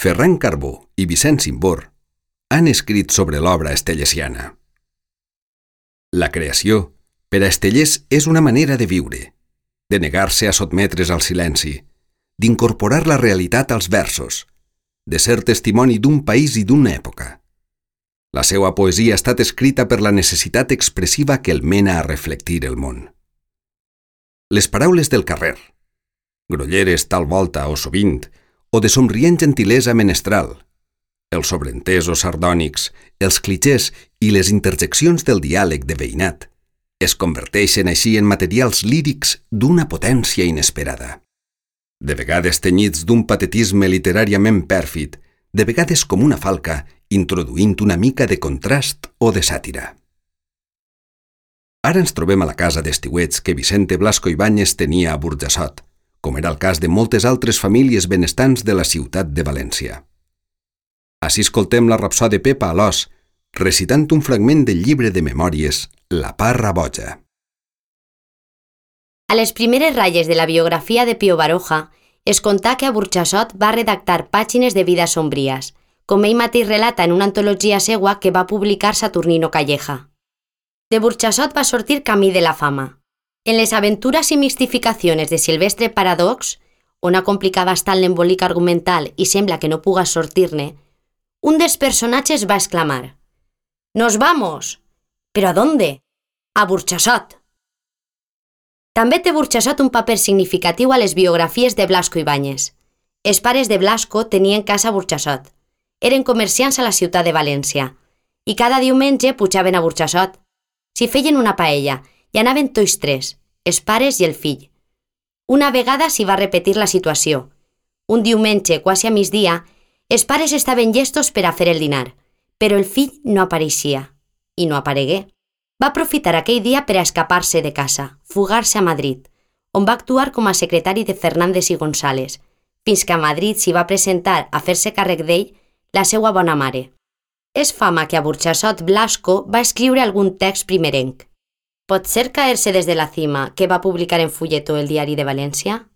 Ferran Carbó i Vicent Simbor han escrit sobre l'obra estellesiana. La creació, per a Estellés, és una manera de viure, de negar-se a sotmetre's al silenci, d'incorporar la realitat als versos, de ser testimoni d'un país i d'una època. La seva poesia ha estat escrita per la necessitat expressiva que el mena a reflectir el món. Les paraules del carrer, grolleres tal volta o sovint, o de somrient gentilesa menestral, els sobreentesos sardònics, els clichés i les interjeccions del diàleg de veïnat es converteixen així en materials lírics d'una potència inesperada. De vegades tenyits d'un patetisme literàriament pèrfid, de vegades com una falca, introduint una mica de contrast o de sàtira. Ara ens trobem a la casa d'estiuets que Vicente Blasco Ibáñez tenia a Burjassot, com era el cas de moltes altres famílies benestants de la ciutat de València. Així escoltem la rapsòdia de Pepa Alòs, recitant un fragment del llibre de memòries La parra boja. A les primeres ratlles de la biografia de Pío Baroja es contà que a Burjassot va redactar pàgines de vida sombries, com ell mateix relata en una antologia seua que va publicar Saturnino Calleja. De Burjassot va sortir Camí de la fama. En les aventures i mistificacions de Silvestre Paradox, on ha complicat bastant l'embolic argumental i sembla que no puga sortir-ne, un dels personatges va exclamar: «¡Nos vamos!» «¿Pero a dónde?» «A Burjassot!» També té Burjassot un paper significatiu a les biografies de Blasco Ibáñez. Els pares de Blasco tenien casa a Burjassot. Eren comerciants a la ciutat de València i cada diumenge pujaven a Burjassot. S'hi feien una paella i anaven tots tres, els pares i el fill. Una vegada s'hi va repetir la situació. Un diumenge, quasi a migdia, els pares estaven llestos per a fer el dinar, però el fill no apareixia. I no aparegué. Va aprofitar aquell dia per a escapar-se de casa, fugar-se a Madrid, on va actuar com a secretari de Fernández i González, fins que a Madrid s'hi va presentar a fer-se càrrec d'ell la seva bona mare. És fama que a Burjassot Blasco va escriure algun text primerenc. Pot ser Caerse des de la cima, que va publicar en fulletó el Diari de València?